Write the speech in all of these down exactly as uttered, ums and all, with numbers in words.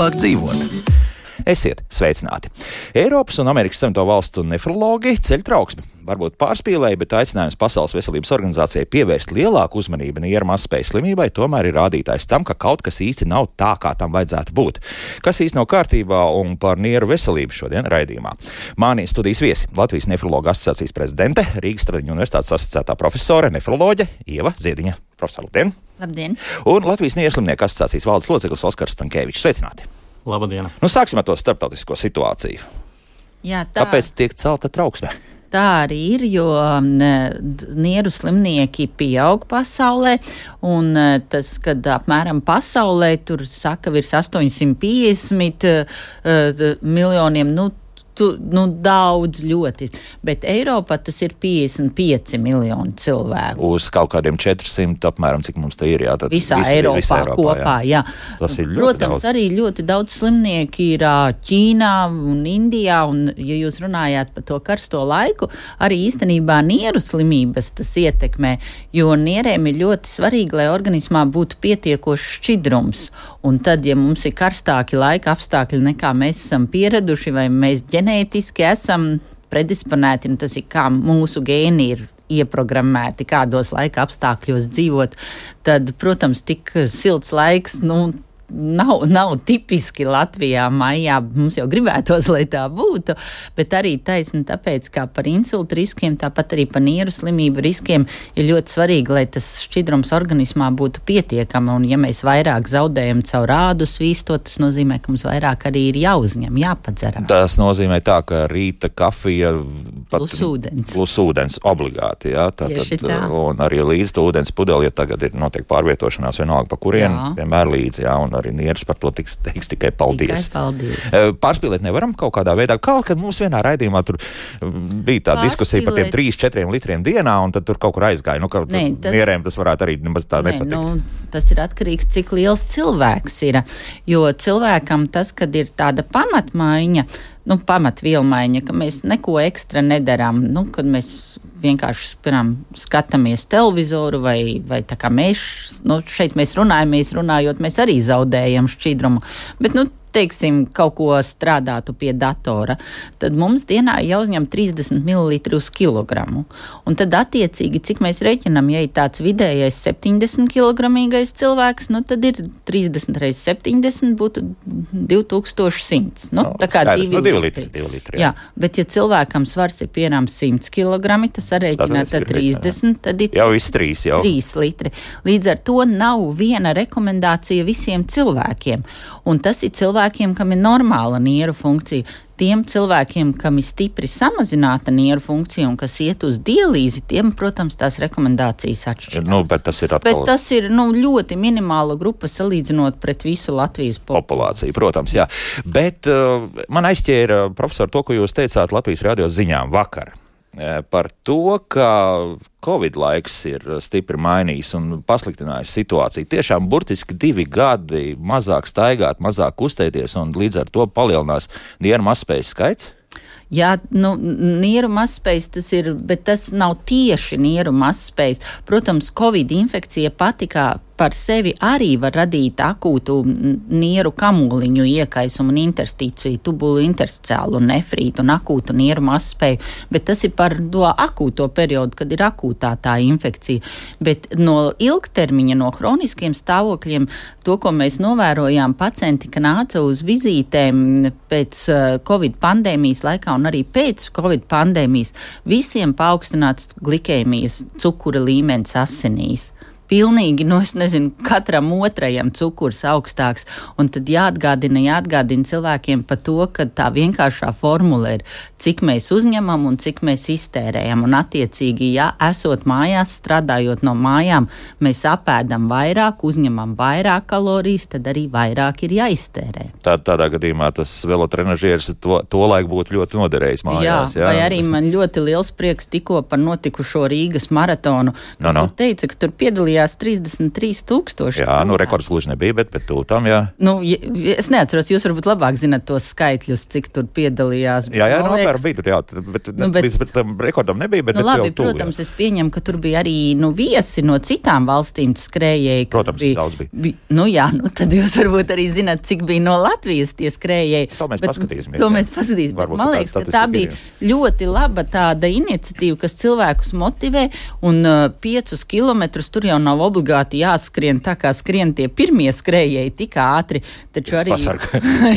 vieglāk dzīvot. Esiet sveicināti! Eiropas un Amerikas Savienoto Valstu nefrologi ceļ trauksmi. Varbūt pārspīlēja, bet aicinājums Pasaules veselības organizācijai pievērst lielāku uzmanību nieru mazspējas slimībai tomēr ir rādītājs tam, ka kaut kas īsti nav tā, kā tam vajadzētu būt. Kas īsti nav kārtībā un par nieru veselību šodien raidījumā. Mani studijas viesi Latvijas nefrologu asociācijas prezidente, Rīgas Stradiņu universitātes asociētā profesore, nefroloģe Ieva Ziediņa. Profesor, labdien! Labdien! Un Latvijas nieru slimnieku asociācijas valdes loceklis Oskars Stankēvičs. Sveicināti! Labdien! Nu, sāksim ar to starptautisko situāciju. Jā, tā, Kāpēc tiek celta trauksme? Tā arī ir, jo nieru slimnieki pieaug pasaulē, un tas, kad apmēram pasaulē tur saka virs astoņsimt piecdesmit uh, miljoniem, nu, tu, nu daudz ļoti, bet Eiropā tas ir piecdesmit pieci miljoni cilvēku. Uz kaut kādiem četrsimt apmēram, cik mums te ir, jā? Tad visā, visi, Eiropā, visā Eiropā kopā, jā. jā. Tas ir ļoti Protams, daudz. arī ļoti daudz slimnieki ir Ķīnā un Indijā, un, ja jūs runājāt par to karsto laiku, arī īstenībā nieru slimības tas ietekmē, jo nierēm ir ļoti svarīgi, lai organismā būtu pietiekošs šķidrums, un tad, ja mums ir karstāki laika apstākļi, nekā mēs esam pieraduši, vai mēs ģenētiski esam predisponēti, un tas ir kā mūsu gēni ir ieprogrammēti, kādos laika apstākļos dzīvot, tad, protams, tik silts laiks, nu, Nav, nav tipiski Latvijā maijā, mums jau gribētos, lai tā būtu, bet arī taisni tāpēc, kā par insultu riskiem, tāpat arī par nieru slimību riskiem ir ļoti svarīgi, lai tas šķidrums organismā būtu pietiekama, un ja mēs vairāk zaudējam caur ādu svīstot, tas nozīmē, ka mums vairāk arī ir jāuzņem, jāpadzeram. Tas nozīmē tā, ka rīta kafija pat, plus ūdens. Plus ūdens obligāti, jā, tā, Tieši tad, tā. Un arī līdz ūdens pudeli, ja tagad ir notiek pārvietošanās vienalga pa kurienu, Jā. vienmēr līdzi, jā, un arī nieras par to tiks, teiks tikai paldies. Tikai paldies. Pārspīlēt nevaram kaut kādā veidā. Kaut kad mums vienā raidījumā tur bija tā diskusija par tiem trīs četriem litriem dienā, un tad tur kaut kur aizgāja. Nu, kaut Nē, tas... nierēm tas varētu arī nemaz tā Nē, nepatikt. Nu, tas ir atkarīgs, cik liels cilvēks ir, jo cilvēkam tas, kad ir tāda pamatmaiņa, nu, pamatvielmaiņa, ka mēs neko ekstra nedarām, nu, kad mēs vienkārši, piemēram, skatāmies televizoru vai, vai tā kā mēs, nu, šeit mēs runājamies, runājot, mēs arī zaudējam šķidrumu, bet, nu, teiksim, kaut ko strādātu pie datora, tad mums dienā jāuzņem trīsdesmit mililitri uz kilogramu. Un tad attiecīgi, cik mēs reiķinam, ja ir tāds vidējais septiņdesmit kilogramīgais cilvēks, nu tad ir trīsdesmit reiz septiņdesmit būtu divi tūkstoši simts. Nu, no, tā kā skaidrs, divi, no divi litri. litri. Divi litri jā. jā, bet ja cilvēkam svars ir piemēram simts kilogrami, tas arēķinā tad trīsdesmit, tad ir jau viss trīs jau. trīs litri. Līdz ar to nav viena rekomendācija visiem cilvēkiem. Un tas ir cilvēkiem, kam ir normāla nieru funkcija. Tiem cilvēkiem, kam ir stipri samazināta nieru funkcija un kas iet uz dialīzi, tiem, protams, tās rekomendācijas atšķirās. Nu, bet tas ir atkal... Bet tas ir, nu, ļoti minimāla grupa salīdzinot pret visu Latvijas populāciju. populāciju. Protams, jā. Bet uh, man aizķēra, profesor, to, ko jūs teicāt Latvijas radio ziņām vakar. Par to, ka Covid laiks ir stipri mainījis un pasliktinājis situāciju. Tiešām burtiski divi gadi mazāk staigāt, mazāk kustēties un līdz ar to palielinās nieru mazspējas skaits? Jā, nu, nieru mazspējas tas ir, bet tas nav tieši nieru mazspējas. Protams, Covid infekcija pati kā par sevi arī var radīt akūtu nieru kamoliņu iekaisumu un interstīciju, tubulu intersticiālu un nefrītu un akūtu nieru mazspēju, bet tas ir par to akūto periodu, kad ir akūtā tā infekcija. Bet no ilgtermiņa, no hroniskiem stāvokļiem, to, ko mēs novērojām, pacienti, ka nāca uz vizītēm pēc Covid pandēmijas laikā un arī pēc Covid pandēmijas, visiem paaugstināts glikēmijas cukura līmenis asinīs. Pilnīgi, nu es nezinu, katram otrajam cukurs augstāks, un tad jāatgādina, jāatgādina cilvēkiem par to, ka tā vienkāršā formula ir, cik mēs uzņemam un cik mēs iztērējam, un attiecīgi, ja esot mājās, strādājot no mājām, mēs apēdam vairāk, uzņemam vairāk kalorijas, tad arī vairāk ir jāiztērē. Tā, tādā gadījumā tas velotrenažieris to, to laiku būtu ļoti noderējis mājās. Jā, jā, vai arī man ļoti liels prieks tikko par notikušo Rīgas maratonu. No, no. Tu teici, ka tur piedalījās piedalījās trīsdesmit trīs tūkstoši. Jā, nu rekords gluži nebija, bet, bet tūtām, jā. Nu, es neatceros, jūs varbūt labāk zināt tos skaitļus, cik tur piedalījās. Jā, jā, no apmēram bija tur, jā, bet, nu, bet līdz tam rekordam nebija, bet, nu, bet labi, jau tuvu, protams, jā. Es pieņemu, ka tur bija arī, nu, viesi no citām valstīm skrējēji. Protams, bija, daudz bija. bija. Nu, jā, nu, tad jūs varbūt arī zināt, cik bija no Latvijas tie skrējēji. To mēs bet, paskatīsimies. To jā. mēs paskatīsimies, bet man liekas, ka tā bija ļoti laba tāda iniciatīva, kas cilvēkus motivē, un uh, piecus kilometrus tur jau nav obligāti jāskrien tā, kā skrien tie pirmie skrējēji tik ātri, taču arī,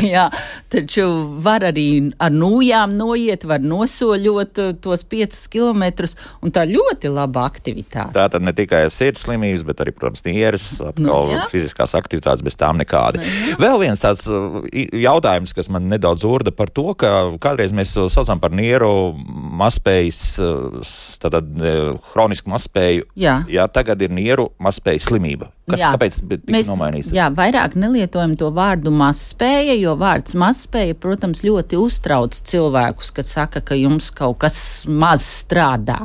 jā, taču var arī ar nūjām noiet, var nosoļot uh, tos piecus kilometrus, un tā ļoti laba aktivitāte. Tā tad ne tikai sirds slimības, bet arī, protams, nieres, atkal nu, fiziskās aktivitātes, bez tām nekādi. Nu, vēl viens tāds uh, jautājums, kas man nedaudz urda par to, ka kādreiz mēs saucam par nieru mazspējas, uh, tātad uh, hronisku mazspēju, jā. Jā, tagad ir nieru mazspējas slimība. Kas, jā, kāpēc tika nomainīts? Jā, vairāk nelietojam to vārdu mazspēja, jo vārds mazspēja, protams, ļoti uztrauc cilvēkus, kad saka, ka jums kaut kas maz strādā.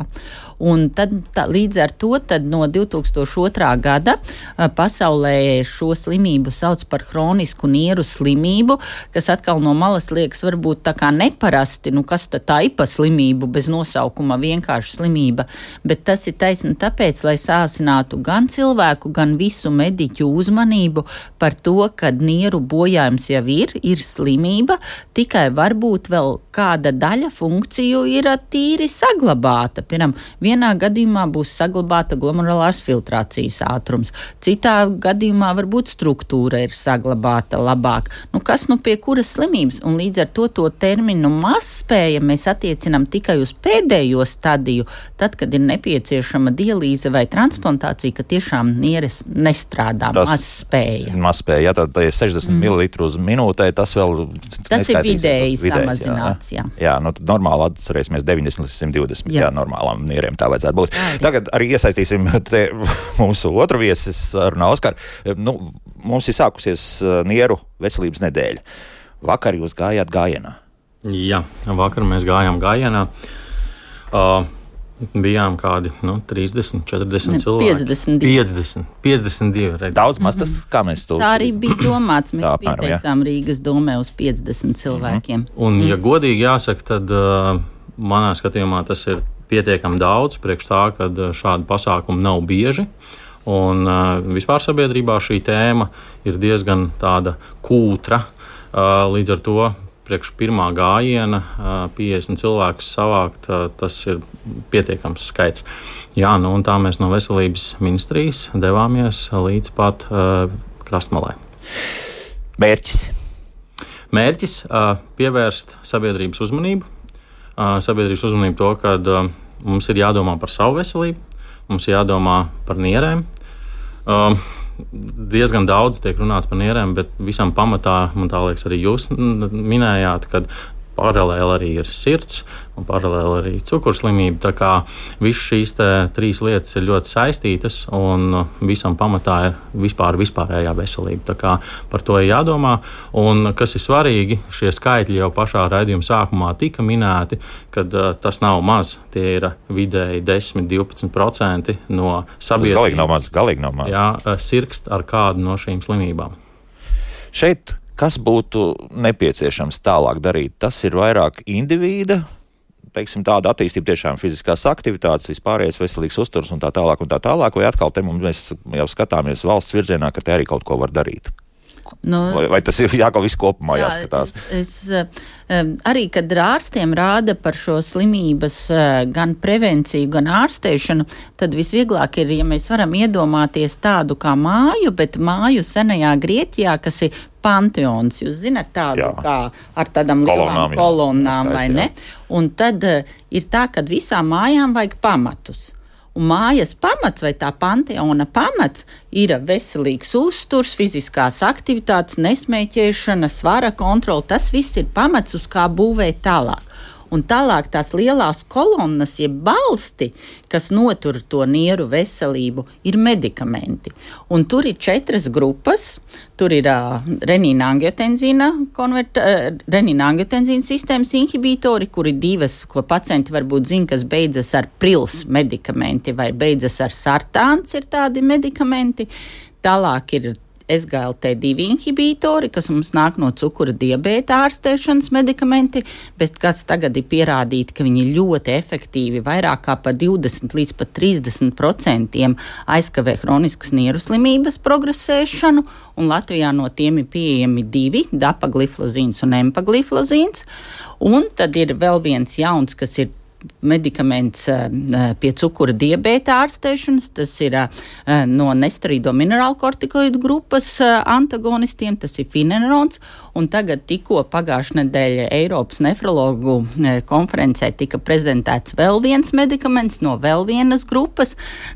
Un tad, tā, līdz ar to tad no divi tūkstoši otrā gada pasaulē šo slimību sauc par hronisku nieru slimību, kas atkal no malas liekas varbūt tā kā neparasti, nu kas tad tā ipa slimību bez nosaukuma, vienkārši slimība, bet tas ir taisni tāpēc, lai sāsinātu gan cilvēku, gan visu mediķu uzmanību par to, kad nieru bojājums jau ir, ir slimība, tikai varbūt vēl kāda daļa funkciju ir tīri saglabāta. Piemēram, vienā gadījumā būs saglabāta glomerulārās filtrācijas ātrums, citā gadījumā varbūt struktūra ir saglabāta labāk. Nu, kas nu pie kuras slimības? Un līdz ar to to terminu mazspēja mēs attiecinām tikai uz pēdējo stadiju, tad, kad ir nepieciešama dialīze vai transplantācija, ka tiešām nieres nestrādā, mazspēja. Mazspēja, jā, tad ir sešdesmit mm. mililitru uz minūtē, tas vēl tas ir vidēji samazināts, jā. Jā, jā nu tad normāli atcerēsimies deviņdesmit līdz simt divdesmit, jā, jā normālām nieriem tā vajadzētu būt. Jā, tagad arī iesaistīsim te mūsu otru viesi sarunā, Oskar. Nu, mums ir sākusies nieru veselības nedēļa. Vakar jūs gājāt gājienā. Jā, vakar mēs gājām gājienā. Uh, bijām kādi, nu, trīsdesmit, četrdesmit cilvēki. piecdesmit divi. piecdesmit, piecdesmit divi. Redz. Daudz maz tas, kā mēs to... Tā arī bija domāts. Mēs tā, apmēram, pieteicām jā. Rīgas domē uz piecdesmit cilvēkiem. Mm-hmm. Un, ja godīgi jāsaka, tad uh, manā skatījumā tas ir pietiekami daudz, priekš tā, ka šādi pasākumi nav bieži. Un uh, vispār sabiedrībā šī tēma ir diezgan tāda kūtra. Uh, līdz ar to priekš pirmā gājiena uh, piecdesmit cilvēkus savākt, uh, tas ir pietiekams skaits. Jā, nu un tā mēs no veselības ministrijas devāmies līdz pat uh, krastmalai. Mērķis? Mērķis uh, pievērst sabiedrības uzmanību. Uh, sabiedrības uzmanību to, ka uh, mums ir jādomā par savu veselību, mums ir jādomā par nierēm. Uh, diezgan daudz tiek runāts par nierēm, bet visam pamatā, man tā liekas, arī jūs minējāt, kad paralēli arī ir sirds un paralēli arī cukurslimība. Tā kā visas šīs trīs lietas ir ļoti saistītas un visam pamatā ir vispār vispārējā veselība. Tā kā par to ir jādomā. Un kas ir svarīgi, šie skaitļi jau pašā raidījuma sākumā tika minēti, kad uh, tas nav maz. Tie ir vidēji desmit līdz divpadsmit procenti no sabiedrības. Galīgi nav maz, galīgi nav maz. Jā, sirgst ar kādu no šīm slimībām. Šeit kas būtu nepieciešams tālāk darīt? Tas ir vairāk indivīda, teiksim, tāda attīstība, tiešām fiziskās aktivitātes, vispārējais veselīgs uzturs un tā tālāk un tā tālāk, vai atkal te mums mēs jau skatāmies valsts virzienā, ka te arī kaut ko var darīt? Nu, vai, vai tas ir jākaut visu kopumā jā, jāskatās? Es, es, arī, kad ārstiem rāda par šo slimības gan prevenciju, gan ārstēšanu, tad visvieglāk ir, ja mēs varam iedomāties tādu kā māju, bet māju senajā Grieķijā, kas ir panteons. Jūs zināt tādu jā. Kā ar tādām lielām kolonnām, vai ne? Un tad ir tā, ka visām mājām vajag pamatus. Un mājas pamats vai tā panteona pamats ir veselīgs uzturs, fiziskās aktivitātes, nesmēķēšana, svara kontrola. Tas viss ir pamats, uz kā būvēt tālāk. Un tālāk tās lielās kolonnas, jeb balsti, kas notur to nieru veselību, ir medikamenti. Un tur ir četras grupas. Tur ir uh, renīna-angiotenzīna konvert, uh, renīna-angiotenzīna sistēmas inhibitori, kuri divas, ko pacienti varbūt zina, kas beidzas ar prils medikamenti vai beidzas ar sartāns, ir tādi medikamenti. Tālāk ir S G L T divi inhibitori, kas mums nāk no cukura diabēta ārstēšanas medikamenti, bet kas tagad ir pierādīti, ka viņi ļoti efektīvi, vairāk kā par divdesmit līdz pat trīsdesmit procentiem aizkavē hroniskas nieru slimības progresēšanu, un Latvijā no tiem ir pieejami divi, dapagliflozīns un empagliflozīns, un tad ir vēl viens jauns, kas ir medikaments pie cukura diabēta ārstēšanas, tas ir no nesteroīdo minerālkortikoidu grupas antagonistiem, tas ir finenerons, un tagad tikko pagājušā nedēļa Eiropas nefrologu konferencē tika prezentēts vēl viens medikaments no vēl vienas grupas,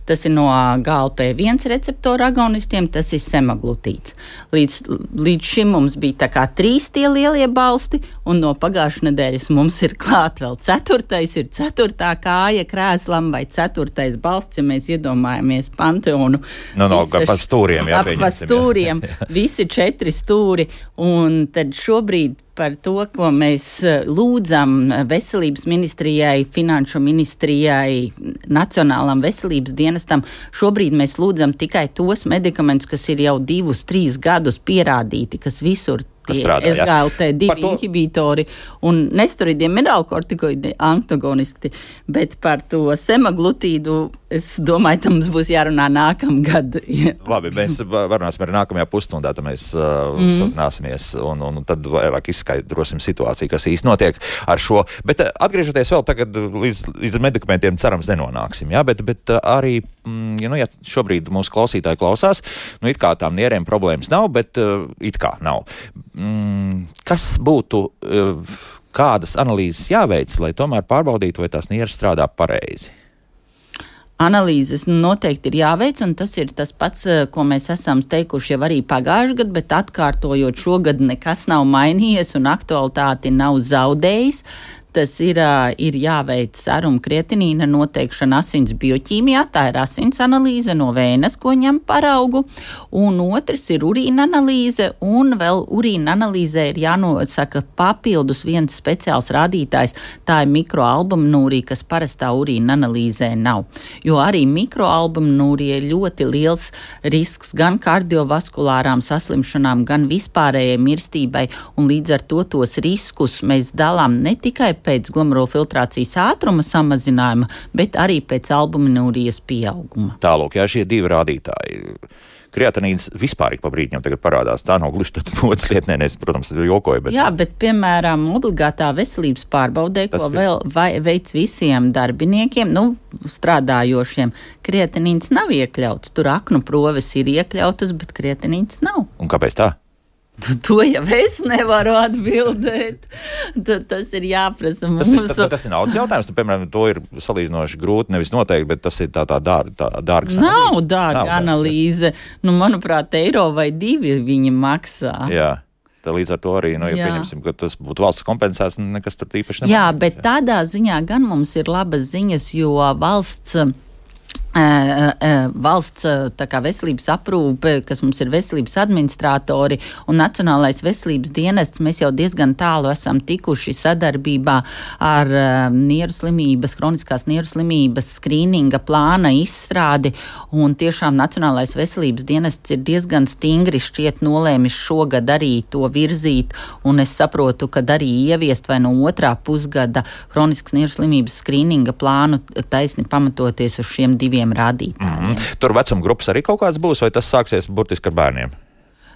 tas ir no G L P viens receptora agonistiem, tas ir semaglutīts. Līdz, līdz šim mums bija tā kā trīs tie lielie balsti, un no pagājušā nedēļas mums ir klāt vēl ceturtais, ir ceturtā kāja krēslam vai ceturtais balsts, ja mēs iedomājamies Panteonu. No, no, ap pa stūriem, jā, ap pa stūriem, visi četri stūri, un tad šobrīd par to, ko mēs lūdzam veselības ministrijai, finanšu ministrijai, Nacionālam veselības dienestam, šobrīd mēs lūdzam tikai tos medikamentus, kas ir jau divus, trīs gadus pierādīti, kas visur tie S G L T divi inhibitori un nesteroīdiem minerālkortikoidi antagonisti, bet par to semaglutīdu es domāju, ka mums būs jārunā nākamgad. Labi, mēs varunāsim arī nākamajā pusstundā, tad mēs uh, mm. sazināsimies un, un tad vairāk izskaidrosim situāciju, kas īsti notiek ar šo. Bet uh, atgriežoties vēl tagad līdz, līdz medikamentiem, cerams, nenonāksim, jā, bet, bet uh, arī, mm, ja, nu, ja šobrīd mūsu klausītāji klausās, nu, it kā tām nierēm problēmas nav, bet uh, it kā nav. Mm, kas būtu, uh, kādas analīzes jāveic, lai tomēr pārbaudītu, vai tās nieres strādā pareizi? Analīzes noteikti ir jāveic, un tas ir tas pats, ko mēs esam teikuši jau arī pagājušajā gadā, bet atkārtojot šogad nekas nav mainījies un aktualitāti nav zaudējis. Tas ir, ir jāveic seruma kreatinīna noteikšana asins bioķīmijā, tā ir asins analīze no vēnes, ko ņem paraugu, un otrs ir urīna analīze, un vēl urīna analīzē ir jānosaka papildus viens speciāls rādītājs, tā ir mikroalbuminūrija, kas parastā urīna analīzē nav. Jo arī mikroalbuminūrija ir ļoti liels risks gan kardiovaskulārām saslimšanām, gan vispārējai mirstībai, un līdz ar to tos riskus mēs dalām ne tikai pēc glomerulfiltrācijas ātruma samazinājuma, bet arī pēc albuminūrijas pieauguma. Tālūk, jā, šie divi rādītāji. Kreatinīns vispār ik pa brīdņam tagad parādās. Tā nav gluži tad modas lietnē, es, protams, jokoju, bet... Jā, bet, piemēram, obligātā veselības pārbaudē, ko ir... vēl vai, veic visiem darbiniekiem, nu, strādājošiem, kreatinīns nav iekļauts. Tur aknu proves ir iekļautas, bet kreatinīns nav. Un kāpēc tā? To jau es nevaru atbildēt. Tad tas ir jāprasa mums. Tas ir, tas ir naudas jautājums. Tu, piemēram, to ir salīdzinoši grūti, nevis noteikti, bet tas ir tā, tā dārga, tā dārgas analīze. Nav dārga Nav analīze. Nu, manuprāt, eiro vai divi viņi maksā. Jā. Tā līdz ar to arī, nu, ja Jā. pieņemsim, ka tas būtu valsts kompensēts, nekas tur tīpaši nemaz. Jā, bet jā. tādā ziņā gan mums ir labas ziņas, jo valsts... Uh, uh, valsts uh, tā kā veselības aprūpe, kas mums ir veselības administratori un Nacionālais veselības dienests, mēs jau diezgan tālu esam tikuši sadarbībā ar uh, nieru slimības, kroniskās nieru slimības skrīninga plāna izstrādi, un tiešām Nacionālais veselības dienests ir diezgan stingri šķiet nolēmis šogad arī to virzīt, un es saprotu, ka arī ieviest vai no otrā pusgada kroniskas nieru slimības skrīninga plānu taisni pamatoties uz šiem diviem rādītājiem. Mm-hmm. Tur vecuma grupas arī kaut kāds būs, vai tas sāksies burtiski ar bērniem?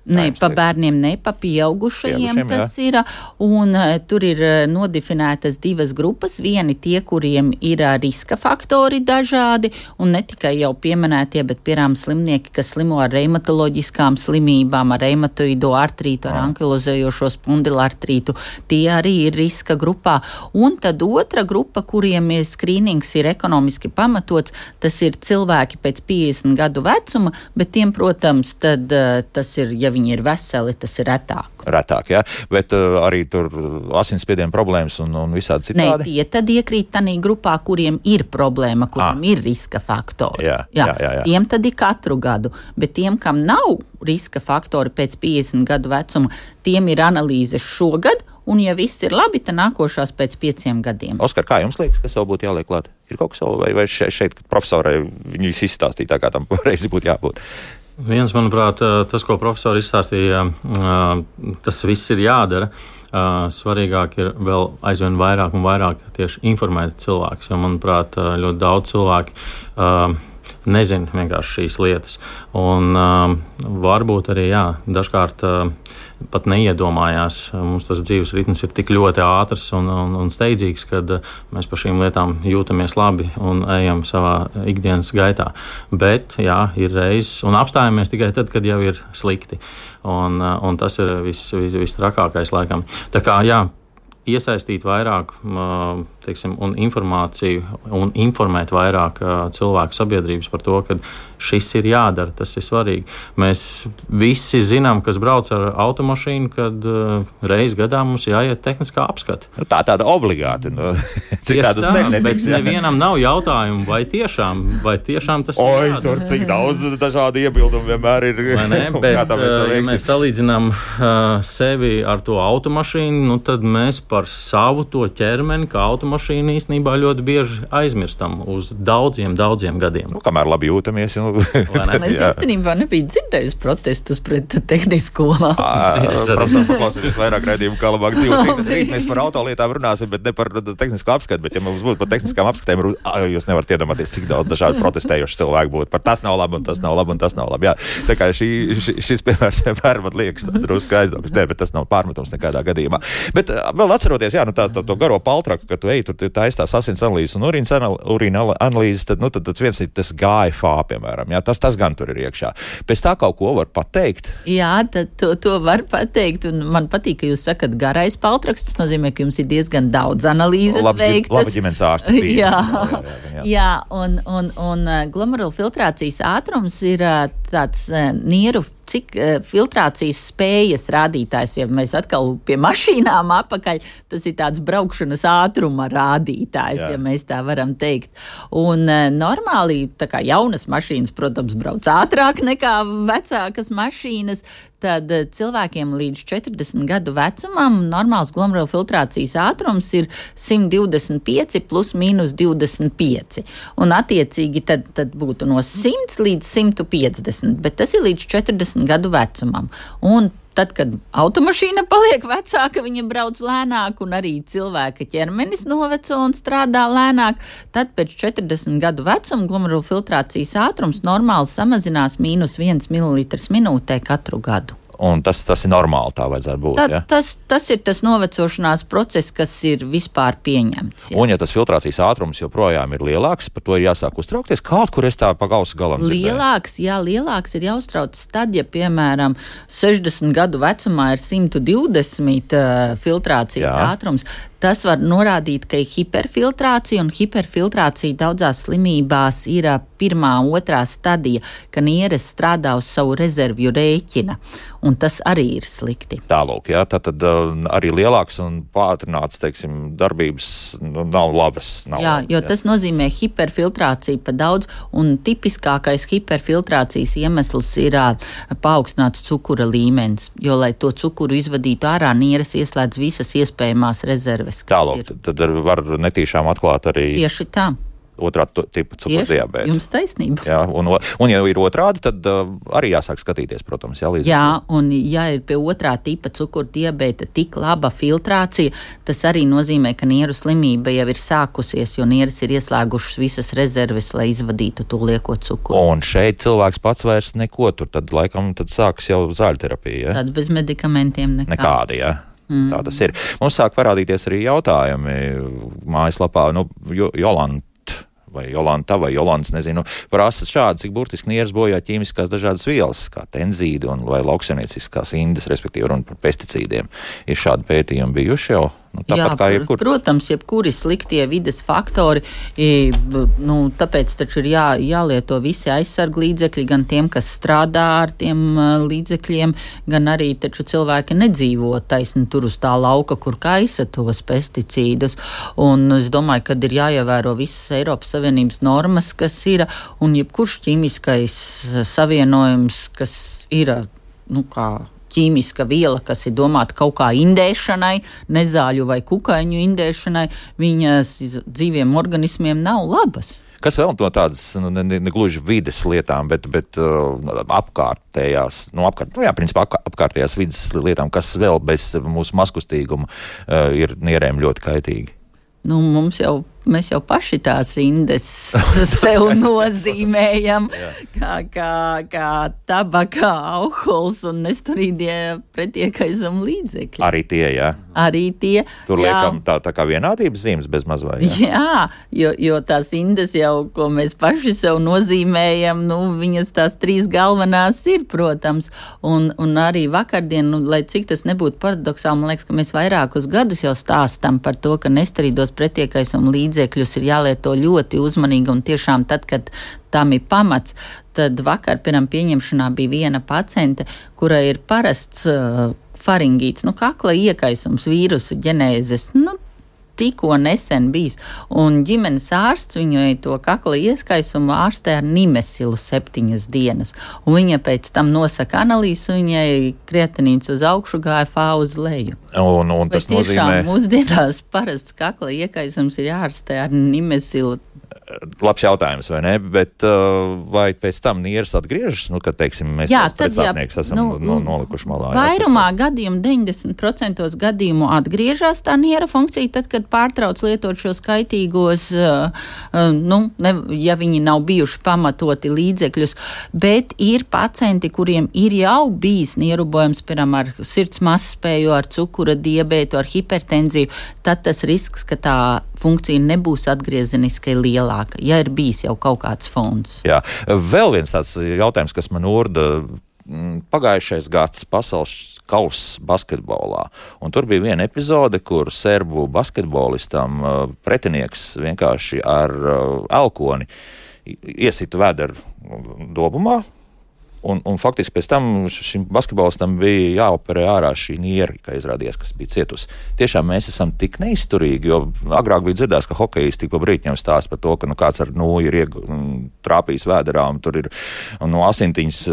Ne, pa bērniem, ne pa pieaugušajiem tas jā. ir, un uh, tur ir uh, nodefinētas divas grupas, vieni tie, kuriem ir uh, riska faktori dažādi, un ne tikai jau pieminētie, bet piemēram slimnieki, kas slimo ar reumatoloģiskām slimībām, ar reumatoido artrītu, ar ankilozējošo spondilartrītu, tie arī ir riska grupā, un tad otra grupa, kuriem ir skrīnings ir ekonomiski pamatots, tas ir cilvēki pēc piecdesmit gadu vecuma, bet tiem, protams, tad uh, tas ir jau viņi ir veseli, tas ir retāk. Retāk, jā, bet uh, arī tur asinsspiediena problēmas un, un visādi citādi? Nē, tie tad iekrīt tanī grupā, kuriem ir problēma, kuriem ah. ir riska faktori. Jā, jā, jā, jā. Tiem tad ir katru gadu, bet tiem, kam nav riska faktori pēc piecdesmit gadu vecuma, tiem ir analīzes šogad, un ja viss ir labi, tad nākošās pēc pieciem gadiem. Oskar, kā jums liekas, kas vēl būtu jāliek klāt? Ir kaut kas vēl, vai, vai šeit, šeit profesorai viņi visi izstāstīja tā, kā tam reizi būtu jābūt? Viens, manuprāt, tas, ko profesori izstāstīja, tas viss ir jādara. Svarīgāk ir vēl aizvien vairāk un vairāk tieši informēt cilvēkus, jo, manuprāt, ļoti daudz cilvēku nezina vienkārši šīs lietas. Un varbūt arī, jā, dažkārt pat neiedomājās. Mums tas dzīves ritms ir tik ļoti ātrs un, un, un steidzīgs, kad mēs par šīm lietām jūtamies labi un ejam savā ikdienas gaitā. Bet, jā, ir reizes, un apstājamies tikai tad, kad jau ir slikti. Un, un tas ir viss vis, vis trakākais laikam. Tā kā, jā, iesaistīt vairāk, teiksim, un informāciju un informēt vairāk cilvēku sabiedrības par to, ka šis ir jādara, tas ir svarīgi. Mēs visi zinām, kas brauc ar automašīnu, kad reiz gadā mums jāiet tehniskā apskata. Tā tāda obligāti. No, cik tādus ceļu netiks. Bet jā. Nevienam nav jautājumu, vai tiešām, vai tiešām tas Oi, ir jādara. Tur cik daudz dažādi iebildumi vienmēr ir. Vai ne? Bet, ja mēs salīdzinām uh, sevi ar to automašīnu, nu tad mēs par savu to ķermeni, kā automašīnu īstenībā ļoti bieži aizmirstam uz daudziem, daudziem gadiem. Nu, kamēr labi jūtamies. Nu, es īstenībā nebiju dzirdējis protestus pret tehnisko. Profesor, paklausieties vairāk raidījumu, kā labāk dzīvot. Rīt mēs par autolietām runāsim, bet ne par tehnisko apskatu. Bet ja mums būtu par tehniskām apskatēm, jūs nevarat iedomāties, cik daudz dažādu protestējuši cilvēku būtu. Par tas nav labi, un tas nav labi, un tas nav labi. Jā. Tā kā šī, ši, šis piemērs vienmēr man liekas drusku aizdomas. Nē, bet tas nav pārmetums nekādā gadījumā. Bet vēl atceroties, jā, nu tā, tā to garo paltraku, ka tu ej, tur taistās asins analīzes un urīna analīzes, tad, nu, tad, tad viens ir tas G A F A, piemēram. Jā, tas, tas gan tur ir iekšā. Pēc tā kaut ko var pateikt? Jā, tad to, to var pateikt, un man patīk, ka jūs sakat garais paltraks, tas nozīmē, ka jums ir diezgan daudz analīzes Labs, veiktas. Laba ģimenes ārsta bija. Jā, jā, jā, jā. jā un, un, un glomerulu filtrācijas ātrums ir tāds nieru cik uh, filtrācijas spējas rādītājs, ja mēs atkal pie mašīnām apakaļ, tas ir tāds braukšanas ātruma rādītājs, Jā. Ja mēs tā varam teikt. Un uh, normāli, tā kā jaunas mašīnas, protams, brauc ātrāk nekā vecākas mašīnas, tad uh, cilvēkiem līdz četrdesmit gadu vecumam normāls glomerulu filtrācijas ātrums ir simt divdesmit pieci plus mīnus divdesmit pieci. Un attiecīgi tad, tad būtu no simts līdz simt piecdesmit, bet tas ir līdz četrdesmit gadu vecumam. Un tad, kad automašīna paliek vecāka, viņa brauc lēnāk un arī cilvēka ķermenis noveco un strādā lēnāk, tad pēc četrdesmit gadu vecuma glomerulu filtrācijas ātrums normāli samazinās mīnus viens mililitrs minūtē katru gadu. Un tas, tas ir normāli, tā vajadzētu būt. Tā, ja? tas, tas ir tas novecošanās process, kas ir vispār pieņemts. Jā. Un ja tas filtrācijas ātrums joprojām ir lielāks, par to ir jāsāk uztraukties. Kaut kur es tā pa gausu galam dzirdēju. Lielāks, jā, lielāks ir jāuztrauc tad, ja, piemēram, sešdesmit gadu vecumā ir simt divdesmit uh, filtrācijas jā. Ātrums. Tas var norādīt, ka ir hiperfiltrācija, un hiperfiltrācija daudzās slimībās ir pirmā, otrā stadija, ka nieres strādā uz savu rezervju rēķina, un tas arī ir slikti. Tālūk, jā, tātad uh, arī lielāks un pātrināts, teiksim, darbības nu, nav labas. Nav jā, labas, jo jā. Tas nozīmē hiperfiltrāciju pa daudz, un tipiskākais hiperfiltrācijas iemesls ir uh, paaugstināts cukura līmenis, jo, lai to cukuru izvadītu ārā, nieres ieslēdz visas iespējamās rezerves. Tālāk, tad var netīšām atklāt arī tieši tā. Otrā tipa cukurdiabēta. Jums taisnība. Jā, un, un ja ir otrādi, tad uh, arī jāsāk skatīties, protams. Jā, līdz jā, un ja ir pie otrā tipa cukurdiabēta tik laba filtrācija, tas arī nozīmē, ka nieru slimība jau ir sākusies, jo nieres ir ieslēgušas visas rezerves, lai izvadītu to lieko cukuru. Un šeit cilvēks pats vairs neko, tur tad laikam tad sāks jau zāļterapija. Ja? Tad bez medikamentiem nekā. Nekādi, jā. Mm. Tā tas ir. Mums sāk parādīties arī jautājumi mājaslapā, nu, Jolanta vai Jolanta vai Jolants, nezinu, prasa šādi, cik burtiski nieres bojā ķīmiskās dažādas vielas, kā tenzīdi un vai lauksaimnieciskās indes, respektīvi runa par pesticīdiem. Ir šādi pētījumi bijuši jau Nu, tāpat Jā, kā jebkur. Protams, jebkuri sliktie vides faktori, nu, tāpēc taču ir jā, jālieto visi aizsarga līdzekļi, gan tiem, kas strādā ar tiem līdzekļiem, gan arī taču cilvēki nedzīvo taisni tur uz tā lauka, kur kaisa tos pesticīdus. Un es domāju, ka ir jāievēro visas Eiropas Savienības normas, kas ir, un jebkurš ķīmiskais savienojums, kas ir, nu kā, ķīmiska viela, kas ir domāta kaut kā indēšanai, nezāļu vai kukaiņu indēšanai, viņas dzīviem organismiem nav labas. Kas vēl no tādas, nu, ne, ne gluži vides lietām, bet, bet uh, apkārtējās, nu, apkārt, nu jā, principā apkārtējās vides lietām, kas vēl bez mūsu maskustīguma uh, ir nierēm ļoti kaitīgi? Nu, mums jau, mēs jau paši tās indes sev nozīmējam, kā, kā, kā tabaka, alkohols un nesturīgie pretiekaisuma līdzekļi. Arī tie, jā? Arī tie. Tur jā. liekam tā, tā kā vienādības zīmes bez mazvai, jā? Jā, jo, jo tās indes jau, ko mēs paši sev nozīmējam, nu, viņas tās trīs galvenās ir, protams, un, un arī vakardien, nu, lai cik tas nebūtu paradoksāli, man liekas, ka mēs vairākus gadus jau stāstam par to, ka nesturīdos pretiekaisuma līdzekļus ir jālieto ļoti uzmanīgi, un tiešām tad, kad tam ir pamats, tad vakar pirms pieņemšanā bija viena paciente, kurai ir parasts uh, faringīts, nu kakla iekaisums, vīrusu ģenēzes, nu tikko nesen bijis, un ģimenes ārsts viņai to kakla ieskaisumu ārstē ar nimesilu septiņas dienas, un viņa pēc tam nosaka analīzes, viņai kreatinīns uz augšu, G F A uz leju. Un, un tas Vai tiešām nozīmē... mūsdienās parasts kakla iekaisums ir jārastē ar nimesilu? Labs jautājums, vai ne? Bet uh, vai pēc tam nieres atgriežas? Nu, kad, teiksim, mēs jā, pēc sāpnieks esam nu, no, nolikuši malā. Vairumā gadījumu, deviņdesmit procenti gadījumu atgriežas tā niera funkcija, tad, kad pārtrauc lietot šos kaitīgos, uh, uh, nu, ne, ja viņi nav bijuši pamatoti līdzekļus, bet ir pacienti, kuriem ir jau bijis nierubojums, piemēram, ar sirds mazspēju, ar cukura diabētu, ar hipertenziju, tad tas risks, ka tā funkcija nebūs atgriezeniski lielāka, ja ir bijis jau kaut kāds fonds. Jā, vēl viens tāds jautājums, kas man urda, pagājušais gads pasaules kauss basketbolā, un tur bija viena epizode, kur serbu basketbolistam pretinieks vienkārši ar elkoni iesita vēderu dobumā, Un, un faktiski pēc tam šim basketbolistam bija jāoperē ārā šī niera, kā izrādījās, kas bija cietusi. Tiešām mēs esam tik neizturīgi, jo agrāk bija dzirdēts, ka hokejisti pa brītņiem stāsta par to, ka nu, kāds ar nūju ir ieg, trāpījis vēderā, un tur ir no asintiņas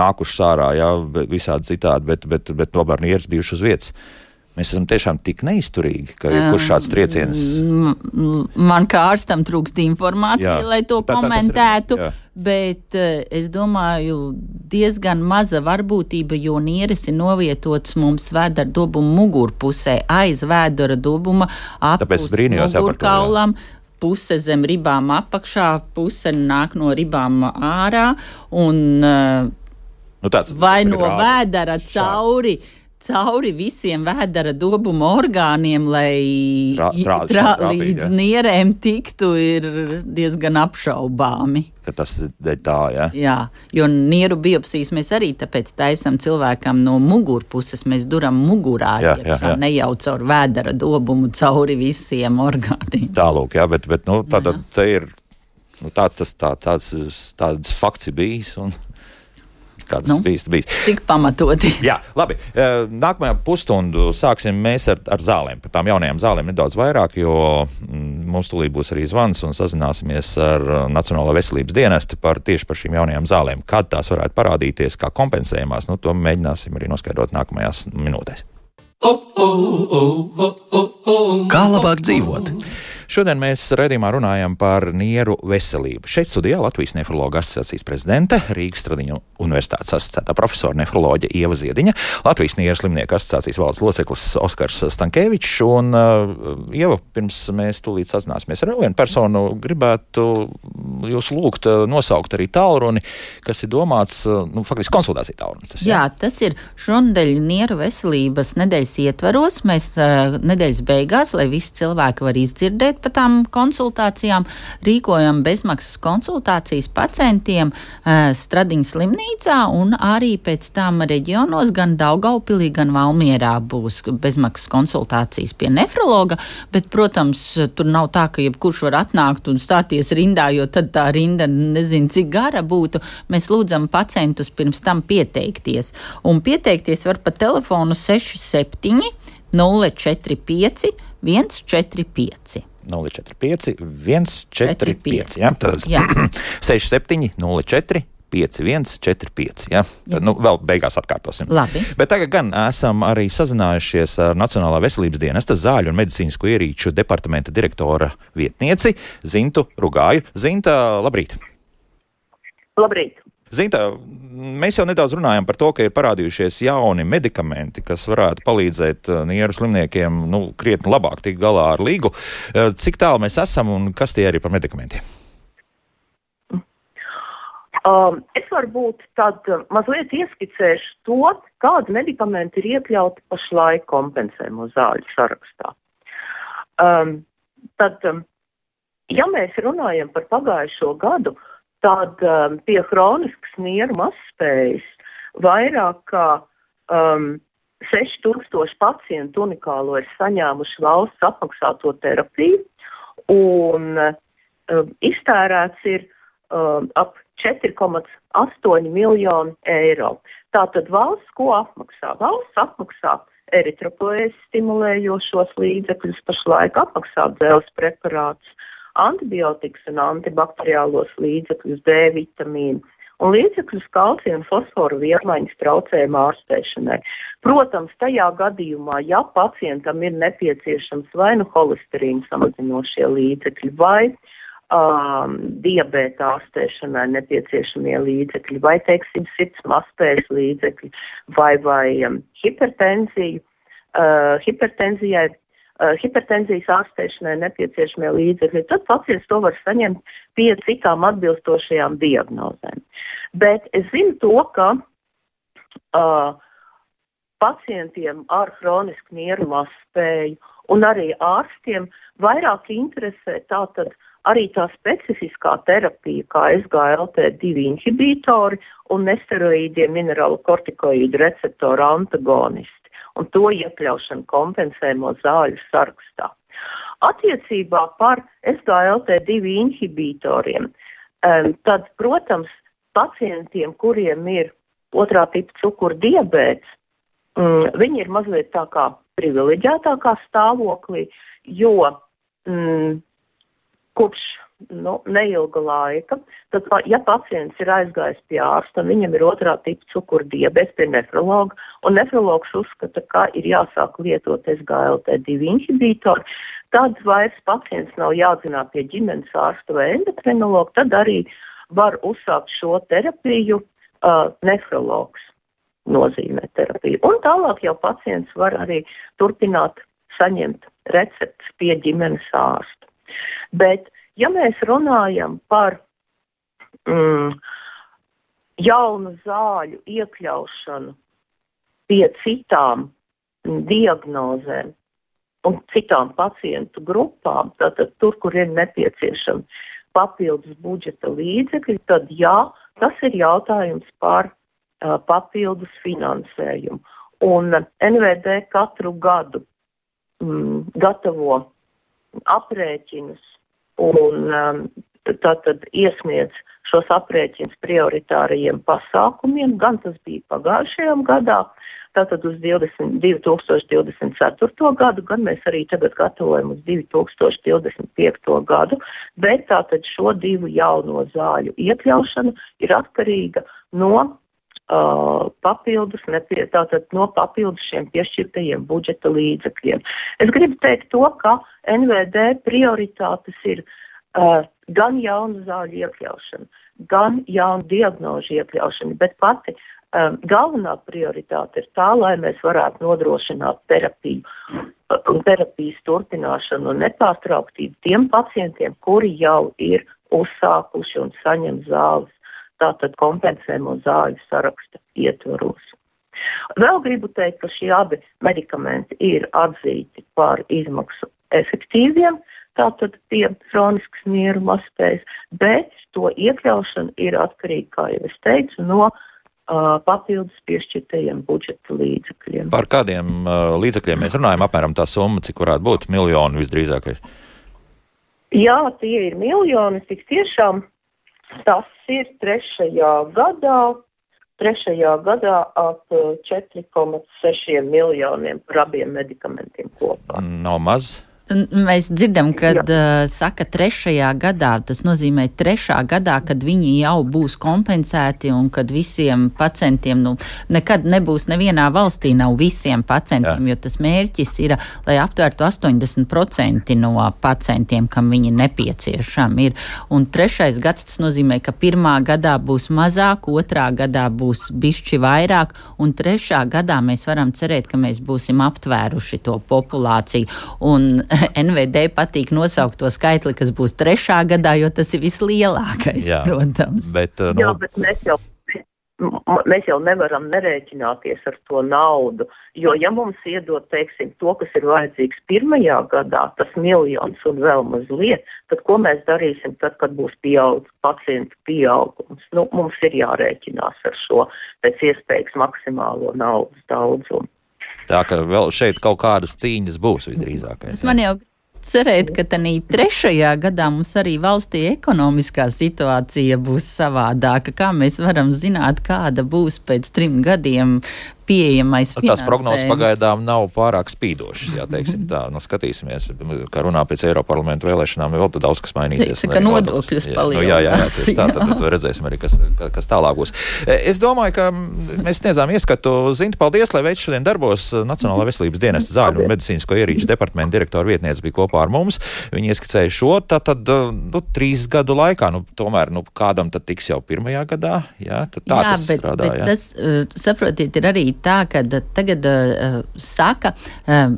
nākušas ārā, jā, visādi citādi, bet, bet, bet tomēr nieras bijuši uz vietas. Mēs esam tiešām tik neizturīgi, ka kurš šāds trieciens... Man kā ārstam trūkst informācija, jā, lai to tā, komentētu, tā, bet uh, es domāju, diezgan maza varbūtība, jo nieres ir novietots mums vēdera dobuma mugurpusē, aiz vēdera dobuma, apus mugurkaulam, puse zem ribām apakšā, puse nāk no ribām ārā, un uh, nu, tāds, vai no vēdera cauri... cauri visiem vēdera dobuma orgāniem, lai Trā, trā, trā, trāpīt, līdz ja. nierēm tiktu, ir diezgan apšaubāmi. Ka tas ir tā, jā? Jā, jo nieru biopsijas mēs arī tāpēc taisam cilvēkam no mugurpuses, mēs duram mugurā, jā, iekšā, jā, jā. ne jau caur vēdera dobumu, cauri visiem orgāniem. Tālūk, jā, bet, bet nu, tātad te ir nu, tāds, tas, tā, tāds, tāds fakts ir bijis, un kā tas nu, bijis, bijis. Cik pamatoti. Jā, labi. Nākamajā pusstundu sāksim mēs ar, ar zālēm. Par tām jaunajām zālēm nedaudz vairāk, jo mums tūlīt būs arī zvans un sazināsimies ar Nacionālo veselības dienestu par tieši par šīm jaunajām zālēm. Kad tās varētu parādīties, kā kompensējumās, nu to mēģināsim arī noskaidrot nākamajās minūtēs. Kā labāk dzīvot? Šodien mēs raidījumā runājam par nieru veselību. Šeit studijā Latvijas nefrologa asociācijas prezidente, Rīgas Stradiņu universitātes asociētā profesora nefroloģe Ieva Ziediņa, Latvijas nieru slimnieku asociācijas valdes loceklis Oskars Stankevičs, un uh, Ieva, pirms mēs tūlīt sazināsimies ar vienu personu, gribētu jūs lūgt uh, nosaukt arī tālruni, kas ir domāts, uh, nu, faktiski konsultācija tālrunis. Tas, jā? jā, tas ir šonadēļ nieru veselības nedēļas ietvaros. Mēs uh, nedēļas beigās, lai visi cilvēki var izdzirdēt, aiziet pa tām konsultācijām, rīkojam bezmaksas konsultācijas pacientiem uh, Stradiņas slimnīcā un arī pēc tam reģionos gan Daugaupilī, gan Valmierā būs bezmaksas konsultācijas pie nefrologa, bet, protams, tur nav tā, ka jebkurš var atnākt un stāties rindā, jo tad tā rinda nezinu, cik gara būtu. Mēs lūdzam pacientus pirms tam pieteikties. Un pieteikties var pa telefonu seši septiņi nulle četri pieci viens četri pieci. nulle četri pieci viens četri pieci. Ja? Tas seši septiņi nulle četri pieci viens četri pieci. Ja? Tad, nu, vēl beigās atkārtosim. Labi. Bet tagad gan esam arī sazinājušies ar Nacionālā veselības dienesta zāļu un medicīnisko ierīču departamenta direktora vietnieci Zintu Rugāju. Zinta, labrīt! Labrīt! Zinta, mēs jau nedaudz runājam par to, ka ir parādījušies jauni medikamenti, kas varētu palīdzēt nieru slimniekiem nu, krietni labāk tikt galā ar līgu. Cik tālu mēs esam un kas tie ir par medikamentiem? Um, es varbūt tad mazliet ieskicēšu to, kādi medikamenti ir iekļauti pašlaik kompensējumu zāļu sarakstā. Um, tad, ja mēs runājam par pagājušo gadu, tad um, pie hroniskas nieru mazspējas vairāk kā um, seši tūkstoši pacientu unikālo ir saņēmuši valsts apmaksāto terapiju un um, iztērēts ir um, ap četri komā astoņi miljoni eiro. Tātad valsts ko apmaksā? Valsts apmaksā eritropoēzi stimulējošos līdzekļus, pašlaik apmaksā dzelzs preparātus, antibiotikas un antibakteriālos līdzekļus, D vitamīnu un līdzekļus kalcija un fosforu vielmaiņas traucējumu ārstēšanai. Protams, tajā gadījumā, ja pacientam ir nepieciešams vai nu holesterīnu samazinošie līdzekļi, vai um, diabēta ārstēšanai nepieciešamie līdzekļi, vai, teiksim, sirds mazspējas līdzekļi, vai, vai um, hipertenziju, uh, hipertenzijai Uh, hipertenzijas ārstēšanai nepieciešamie līdzekļi, tad pacients to var saņemt pie citām atbilstošajām diagnozēm. Bet es zinu to, ka uh, pacientiem ar hronisku nieru mazspēju un arī ārstiem vairāk interesē tātad arī tā specifiskā terapija, kā S G L T divi inhibītori un nesteroīdie minerālu kortikoīdu receptoru antagonisti un to iekļaušanu kompensējumu zāļu sarakstā. Attiecībā par S G L T divi inhibītoriem, um, tad, protams, pacientiem, kuriem ir otrā tipa cukura diabēts, um, viņi ir mazliet tā kā privileģētākā stāvoklī, jo um, kopš nu, neilga laika, tad, ja pacients ir aizgājis pie ārsta un viņam ir otrā tipa cukura diabēts pie nefrologa, un nefrologs uzskata, ka ir jāsāk lietot S G L T divi inhibītori, tad vairs pacients nav jāatzinā pie ģimenes ārsta vai endokrinologa, tad arī var uzsākt šo terapiju uh, nefrologs nozīmē terapiju. Un tālāk jau pacients var arī turpināt saņemt receptes pie ģimenes ārsta. Bet, ja mēs runājam par mm, jaunu zāļu iekļaušanu pie citām mm, diagnozēm un citām pacientu grupām, tātad tur, kur ir nepieciešami papildus budžeta līdzekļi, tad jā, tas ir jautājums par uh, papildus finansējumu. Un N V D katru gadu mm, gatavo aprēķinus un um, tātad iesniedz šos aprēķinus prioritārajiem pasākumiem, gan tas bija pagājušajam gadā, tātad uz divdesmit, divi tūkstoši divdesmit ceturto gadu, gan mēs arī tagad gatavojam uz divi tūkstoši divdesmit piekto gadu, bet tātad šo divu jauno zāļu iekļaušana ir atkarīga no Uh, papildus, nepie, tātad no papildus šiem piešķirtajiem budžeta līdzekļiem. Es gribu teikt to, ka N V D prioritātes ir uh, gan jaunu zāļu iekļaušana, gan jaunu diagnožu iekļaušana, bet pati um, galvenā prioritāte ir tā, lai mēs varētu nodrošināt terapiju un terapijas turpināšanu un nepārtrauktību tiem pacientiem, kuri jau ir uzsākuši un saņem zāles. Tātad kompensējumu zāļu saraksta ietvaros. Vēl gribu teikt, ka šie abi medikamenti ir atzīti par izmaksu efektīviem, tātad pie hroniskas nieru mazspējas, bet to iekļaušana ir atkarīga, kā jau es teicu, no uh, papildus piešķirtajiem budžeta līdzekļiem. Par kādiem uh, līdzekļiem mēs runājam, apmēram tā summa, cik varētu būt, miljoni visdrīzākais? Jā, tie ir miljoni, tik tiešām tas ir trešajā gadā, trešajā gadā ap četri komats seši miljoniem par abiem medikamentiem kopā. Nav maz? Mēs dzirdam, kad uh, saka trešajā gadā, tas nozīmē trešā gadā, kad viņi jau būs kompensēti un kad visiem pacientiem, nu, nekad nebūs nevienā valstī nav visiem pacientiem, Jā. Jo tas mērķis ir, lai aptvērtu astoņdesmit procenti no pacientiem, kam viņi nepieciešami ir. Un trešais gads tas nozīmē, ka pirmā gadā būs mazāk, otrā gadā būs bišķi vairāk, un trešā gadā mēs varam cerēt, ka mēs būsim aptvēruši to populāciju. Un N V D patīk nosaukt to skaitli, kas būs trešā gadā, jo tas ir vislielākais, Jā, protams. Bet, uh, Jā, bet mēs jau, mēs jau nevaram nerēķināties ar to naudu, jo ja mums iedod, teiksim, to, kas ir vajadzīgs pirmajā gadā, tas miljons un vēl mazliet, tad ko mēs darīsim tad, kad būs pieaug, pacientu pieaugums? Nu, mums ir jārēķinās ar šo pēc iespējas maksimālo naudas daudzumu. Tā ka vēl šeit kaut kādas cīņas būs visdrīzākais. Man jau cerēt, ka tanī trešajā gadā mums arī valstī ekonomiskā situācija būs savādāka. Kā mēs varam zināt, kāda būs pēc trim gadiem pieejamais finansējums? Tās prognozes pagaidām nav pārāk spīdošas, jā, teiksim tā. Nu, skatīsimies, kā runā pēc Eiroparlamentu vēlēšanām, vēl tad daudz kas mainīsies. Teica, ka nodokļus palielinās. Nu, jā, jā, jā, tieši tā, tad, tad redzēsim arī, kas, kas tālāk būs. Es domāju, ka mēs sniedzām ieskatu. Zinti, paldies, lai veids šodien darbos. Nacionālā veselības dienesta zāļu un medicīnisko ierīču departamenta direktora vietniece bija kopā ar mums. Viņi ieskicēja šo, tātad, nu, trīs gadu laikā, nu, tomēr, nu, kādam tad tiks jau pirmajā gadā, jā, tad tā jā, tas bet, strādā, bet jā. Tas, uh, saprotiet, ir arī tā, ka tagad uh, saka, uh,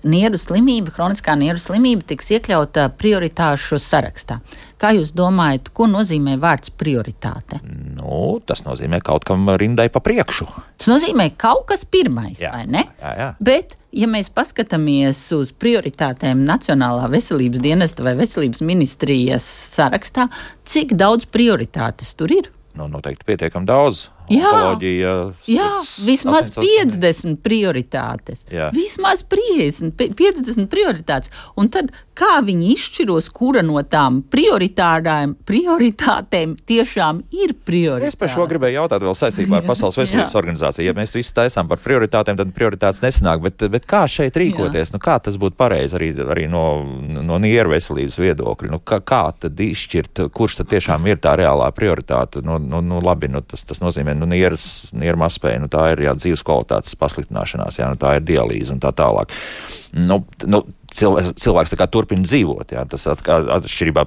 nieru slimība, hroniskā nieru slimība tiks iekļauta prioritāšu sarakstā. Kā jūs domājat, ko nozīmē vārds prioritāte? Nu, tas nozīmē kaut kam rindai pa priekšu. Tas nozīmē kaut kas pirmais, jā, vai ne? Jā, jā. Bet, ja mēs paskatāmies uz prioritātēm Nacionālā veselības dienesta vai veselības ministrijas sarakstā, cik daudz prioritātes tur ir? Nu, noteikti pietiekam daudz. Jā, Onkoloģija, jā vismaz piecdesmit prioritātes. Jā. Vismaz piecdesmit prioritātes. Un tad kā viņi izšķiros, kura no tām prioritātēm tiešām ir prioritāte? Es par šo gribēju jautāt vēl saistībā ar Pasaules veselības organizāciju. Ja mēs visi taisām par prioritātēm, tad prioritātes nesanāk. Bet, bet kā šeit rīkoties? Nu, kā tas būtu pareizi arī, arī no, no nieru veselības viedokļa? Nu, kā, kā tad izšķirt, kurš tad tiešām ir tā reālā prioritāte? Nu, nu, nu labi, nu, tas, tas nozīmē, nu, nieras, nieru mazspēja, nu, tā ir jā, dzīves kvalitātes pasliktināšanās, jā, nu, tā ir dialīze un tā tālāk. Nu, nu, cilvēks, cilvēks tā kā turpina dzīvot, jā, tas at, atšķirībā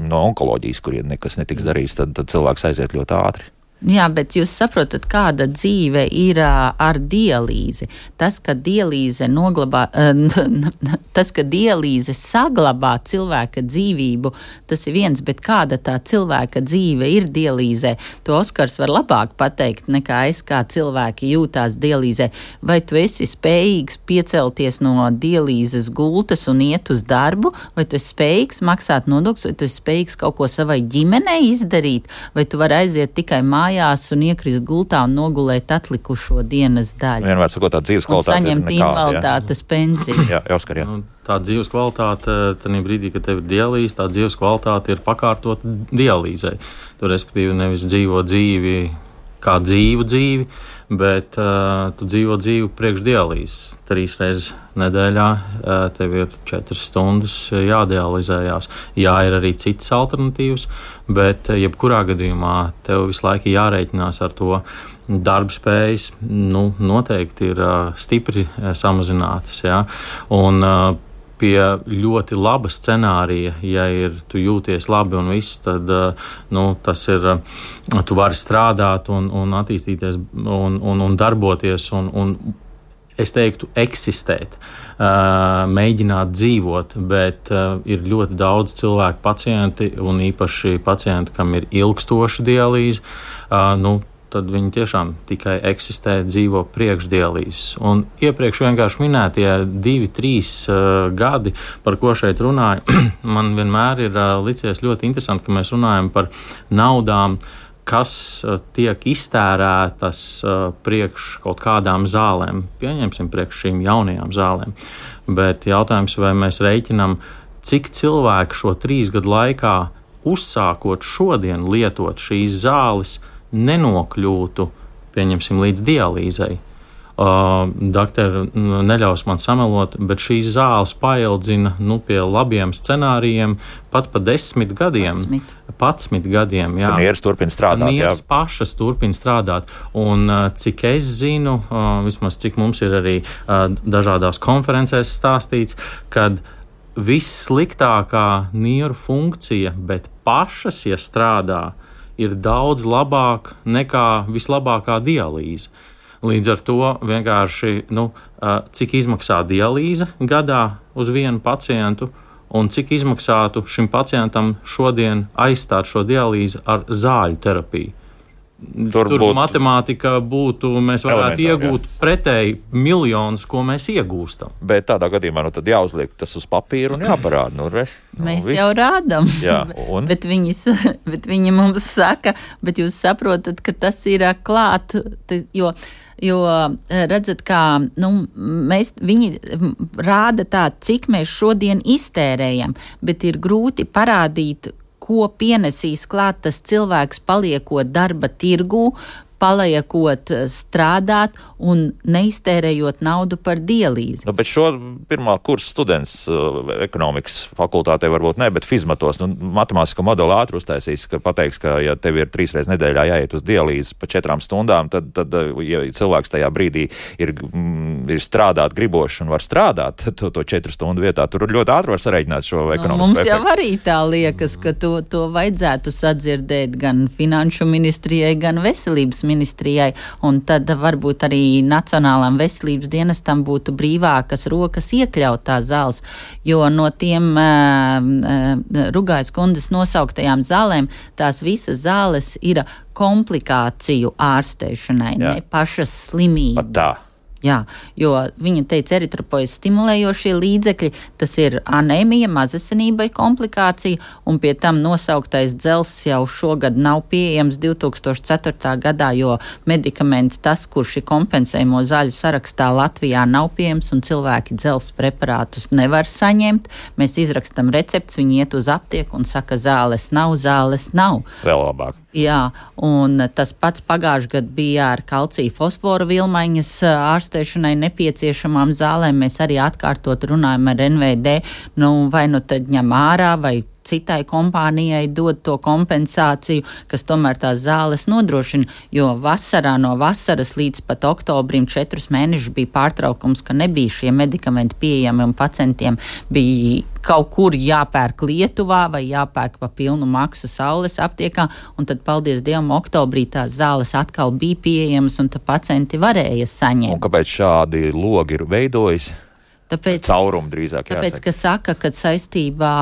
no onkoloģijas, kur ja nekas netiks darīts, tad, tad cilvēks aiziet ļoti ātri. Jā, bet jūs saprotat, kāda dzīve ir uh, ar dialīzi. Tas, ka dialīze noglabā, uh, tas, ka dialīze saglabā cilvēka dzīvību, tas ir viens, bet kāda tā cilvēka dzīve ir dialīzē, to Oskars var labāk pateikt nekā es, kā cilvēki jūtās dialīzē. Vai tu esi spējīgs piecelties no dialīzes gultas un iet uz darbu, vai tu esi spējīgs maksāt nodokļus, vai tu esi spējīgs kaut ko savai ģimenei izdarīt, vai tu vari aiziet tikai mājās un iekrist gultā un nogulēt atlikušo dienas daļu. Vienmēr sakot, tā dzīves kvalitāte ir nekāda. Un saņemt invaliditātes pensiju. Jā, Oskar, jā. Nu, tā dzīves kvalitāte, tajā brīdī, kad tev ir dialīze, tā dzīves kvalitāte ir pakārtot dialīzei. Tu respektīvi nevis dzīvo dzīvi kā dzīvu dzīvi, bet uh, tu dzīvo dzīvi priekš dialīzes. Trīs reizes nedēļā uh, tev ir četras stundas jādializējās. Jā, ir arī citas alternatīvas, bet uh, jebkurā gadījumā tev visu laiku jārēķinās ar to darba spējas, nu, noteikti ir uh, stipri uh, samazinātas. Jā. Un, uh, Pie ļoti laba scenārija, ja ir, tu jūties labi un viss, tad nu, tas ir, tu vari strādāt un, un attīstīties un, un, un darboties un, un es teiktu eksistēt, mēģināt dzīvot, bet ir ļoti daudz cilvēku pacienti un īpaši pacienti, kam ir ilgstoša dialīze, nu, tad viņi tiešām tikai eksistē, dzīvo priekšdialīzes. Un iepriekš vienkārši minētie divi, trīs uh, gadi, par ko šeit runāju, man vienmēr ir uh, licies ļoti interesanti, ka mēs runājam par naudām, kas uh, tiek iztērētas uh, priekš kaut kādām zālēm. Pieņemsim priekš šīm jaunajām zālēm. Bet jautājums, vai mēs reiķinam, cik cilvēku šo trīs gadu laikā uzsākot šodien lietot šīs zāles, nenokļūtu, pieņemsim, līdz dialīzei. Uh, Doktori, neļaus man samelot, bet šīs zāles paildzina nu, pie labiem scenārijiem pat pa desmit gadiem. Patsmit gadiem, jā. Nieres turpina strādāt, jā. Nieres pašas turpina strādāt. Un uh, cik es zinu, uh, vismaz cik mums ir arī uh, dažādās konferencēs stāstīts, kad vissliktākā nieru funkcija, bet pašas, ja strādā, ir daudz labāk nekā vislabākā dialīze. Līdz ar to vienkārši, nu, cik izmaksā dialīze gadā uz vienu pacientu un cik izmaksātu šim pacientam šodien aizstāt šo dialīzi ar zāļu terapiju. Tur, Tur būt matemātika būtu, mēs varētu iegūt jā. pretēji miljonus, ko mēs iegūstam. Bet tādā gadījumā nu, tad jāuzliek tas uz papīra un jāparāda. Nu, re, nu, mēs viss. jau rādam, jā, un? bet, viņas, bet viņi mums saka, bet jūs saprotat, ka tas ir klāt, jo, jo redzat, kā nu, mēs, viņi rāda tā, cik mēs šodien iztērējam, bet ir grūti parādīt, ko pienesīs klāt tas cilvēks paliekot darba tirgū, paliekot strādāt un neiztērējot naudu par dialīzi. Nu, bet šo pirmā kursa students uh, ekonomikas fakultātē varbūt ne, bet fizmatos, nu, matemātisko modeli ātri uztaisīs, ka pateiks, ka ja tev ir trīs reizes nedēļā jāiet uz dialīzi pa četrām stundām, tad, tad ja cilvēks tajā brīdī ir, mm, ir strādāt gribošs un var strādāt to, to četru stundu vietā, tur ļoti ātri var sareiķināt šo ekonomisko nu, mums efektu. Jau arī tā liekas, ka to, to vajadzētu sadzirdēt gan finanšu ministrijai, gan veselības ministrijai, un tad varbūt arī Nacionālām veselības dienestam būtu brīvākas rokas iekļaut tās zāles, jo no tiem uh, uh, Rugājas kundas nosauktajām zālēm tās visas zāles ir komplikāciju ārstēšanai, Jā. ne pašas slimības. Pat tā. Jā, jo viņa teica, eritropoiezu stimulējošie līdzekļi, tas ir anēmija, mazasinībai komplikācija, un pie tam nosauktais dzels jau šogad nav pieejams divi tūkstoši ceturtā gadā, jo medikaments tas, kurš ir kompensējumu zaļu sarakstā Latvijā nav pieejams, un cilvēki dzels preparātus nevar saņemt. Mēs izrakstam recepts, viņi iet uz aptieku un saka, zāles nav, zāles nav. Vēl labāk. Jā, un tas pats pagājušajā gadā bija ar kalcija fosforu vilmaiņas ārstēšanai nepieciešamām zālēm. Mēs arī atkārtot runājam ar N V D, nu vai nu tad ņem ārā vai citai kompānijai dod to kompensāciju, kas tomēr tās zāles nodrošina, jo vasarā no vasaras līdz pat oktobrim četrus mēnešus bija pārtraukums, ka nebija šie medikamenti pieejami un pacientiem bija kaut kur jāpērk Lietuvā vai jāpērk pa pilnu maksu saules aptiekā, un tad, paldies Dievam, oktobrī tās zāles atkal bija pieejamas un tad pacienti varēja saņemt. Un kāpēc šādi logi ir veidojis? Tāpēc, Caurumu drīzāk jāsaka. Tāpēc, ka saka, ka saistībā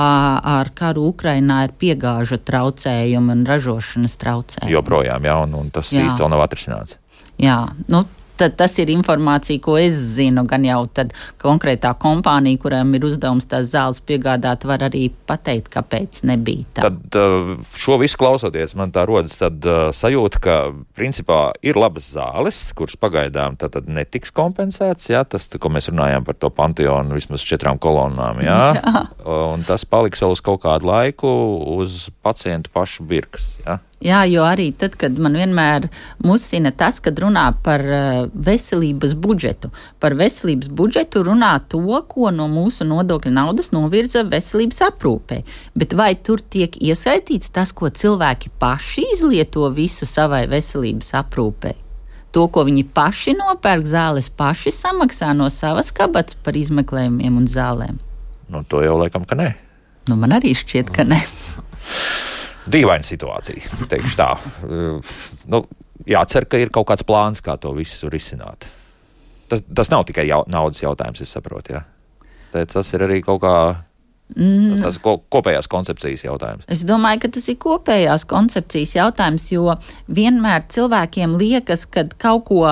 ar karu Ukrainā ir piegāžu traucējumi un ražošanas traucējumi. Joprojām, jā, un, un tas jā. īsti vēl nav atrisināts. Jā, nu, tad tas ir informācija, ko es zinu, gan jau tad konkrētā kompānija, kurām ir uzdevums tās zāles piegādāt, var arī pateikt, kāpēc nebija tā. Tad šo visu klausoties, man tā rodas tad sajūta, ka principā ir labas zāles, kuras pagaidām tad netiks kompensēts, jā, tas, ko mēs runājām par to panteonu vismaz četrām kolonnām, jā, jā. Un tas paliks vēl uz kaut kādu laiku uz pacientu pašu birkas, jā. Jā, jo arī tad, kad man vienmēr musina tas, kad runā par uh, veselības budžetu. Par veselības budžetu runā to, ko no mūsu nodokļu naudas novirza veselības aprūpē. Bet vai tur tiek ieskaitīts tas, ko cilvēki paši izlieto visu savai veselības aprūpē? To, ko viņi paši nopērk zāles, paši samaksā no savas kabatas par izmeklējumiem un zālēm? Nu, to jau laikam, ka nē. Nu, man arī šķiet, ka nē. Dīvaina situācija, teikšu tā. Nu, jācer, ka ir kaut kāds plāns, kā to visu risināt. Tas, tas nav tikai jau, naudas jautājums, es saprotu, jā. Tas ir arī kaut kā Mm. Tas ir kopējās koncepcijas jautājums. Es domāju, ka tas ir kopējās koncepcijas jautājums, jo vienmēr cilvēkiem liekas, ka kaut ko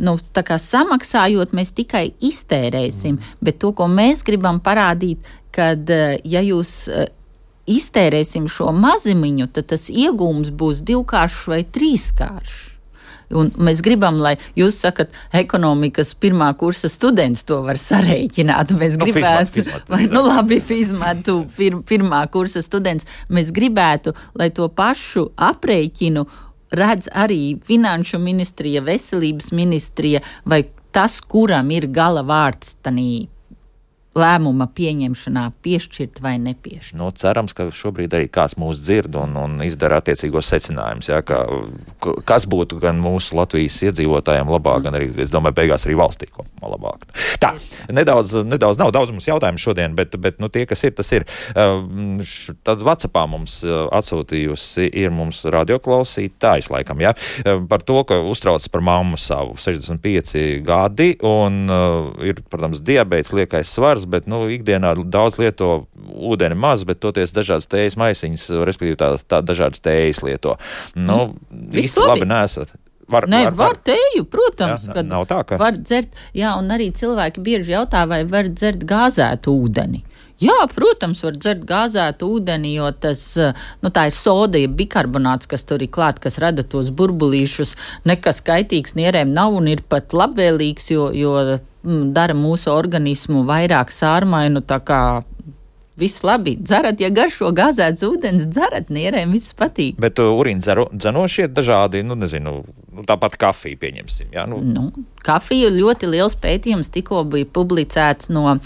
nu, tā kā samaksājot, mēs tikai iztērēsim. Mm. Bet to, ko mēs gribam parādīt, kad ja jūs iztērēsim šo mazumiņu, tad tas iegūms būs divkāršs vai trīskāršs. Un mēs gribam, lai jūs sakat, ekonomikas pirmā kursa students to var sarēķināt. Mēs nu, gribētu, fizmat, fizmat, vai, nu labi, fizmatu pir, pirmā kursa students, mēs gribētu, lai to pašu aprēķinu redz arī Finanšu ministrija, Veselības ministrija vai tas, kuram ir gala vārds tanī lēmuma pieņemšanā piešķirt vai nepiešķirt. Nu, cerams, ka šobrīd arī kāds mūs dzird un, un izdara attiecīgos secinājumus, ja, ka, kas būtu gan mūsu Latvijas iedzīvotājiem labāk, gan arī, es domāju, beigās arī valstī kopumā labāk. Tā, nedaudz, nedaudz nav daudz mums jautājumu šodien, bet, bet nu, tie, kas ir, tas ir. Tad WhatsAppā mums atsūtījusi ir mums radioklausītājs laikam, ja, par to, ka uztrauc par mammu savu sešdesmit pieci gadi un ir, protams, diabēts, liekais svars, bet, nu, ikdienā daudz lieto ūdeni maz, bet toties dažādas tējas maisiņas, respektīvi tā, tā dažādas tējas lieto. Nu, īsti labi nesat. Var, Nē, var, var tēju, protams, jā, kad nav tā, ka... var dzert, jā, un arī cilvēki bieži jautā, vai var dzert gāzētu ūdeni. Jā, protams, var dzert gāzētu ūdeni, jo tas, nu, tā ir soda, ja bikarbonāts, kas tur ir klāt, kas rada tos burbulīšus, nekas kaitīgs nierēm nav un ir pat labvēlīgs, jo, jo mm, dara mūsu organismu vairāk sārmainu, tā kā viss labi. Dzerat, ja garšo gāzēts ūdens, dzerat, nierēm viss patīk. Bet uh, urīna dzenošie dažādi, nu, nezinu, nu, tāpat kafiju pieņemsim, jā? Nu. Nu, kafija ļoti liels pētījums tikko bija publicēts no,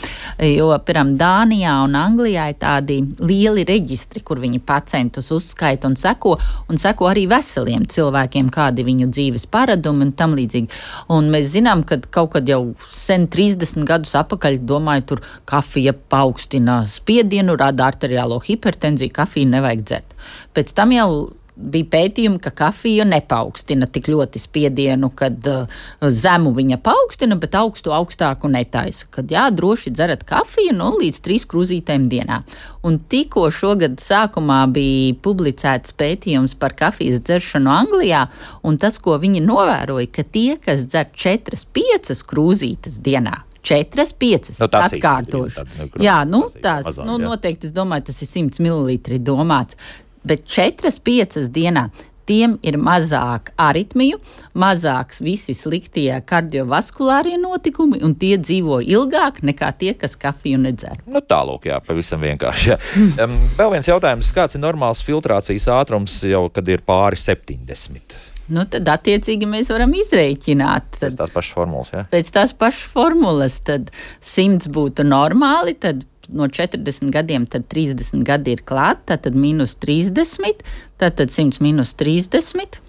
jo, piram, Dānijā un Anglijā ir tādi lieli reģistri, kur viņi pacientus uzskaita un seko, un seko arī veseliem cilvēkiem, kādi viņu dzīves paradumi un tam līdzīgi. Un mēs zinām, ka kaut kad jau sen trīsdesmit gadus apakaļ, domāju, tur kafija paaugstina spiedienu, rada arteriālo hipertenziju, kafiju nevajag dzert. Pēc tam jau bija pētījumi, ka kafija nepaukstina tik ļoti spiedienu, kad uh, zemu viņa paaugstina, bet augstu augstāku netaisa. Kad jā, droši dzerat kafiju, nu, līdz trīs krūzītēm dienā. Un tikko šogad sākumā bija publicēts pētījums par kafijas dzeršanu Anglijā, un tas, ko viņi novēroja, ka tie, kas dzer četras, piecas krūzītes dienā, četras, piecas, nu, atkārtoši. Nu, jā, nu, tās, mazās, nu, jā. noteikti, es domāju, tas ir simts mililitri domāts. Bet četras, piecas dienā tiem ir mazāk aritmiju, mazāks visi sliktie kardiovaskulārie notikumi, un tie dzīvo ilgāk nekā tie, kas kafiju nedzer. Nu, tālūk, jā, pavisam vienkārši. Jā. Um, vēl viens jautājums, kāds ir normāls filtrācijas ātrums jau, kad ir pāri septiņdesmit? Nu, tad attiecīgi mēs varam izrēķināt. Tad, pēc tās pašas formulas, jā? Pēc tās pašas formulas, tad simts būtu normāli, tad no četrdesmit gadiem, tad trīsdesmit gadi ir klāt, tad mīnus trīsdesmit, tad simts mīnus trīsdesmit.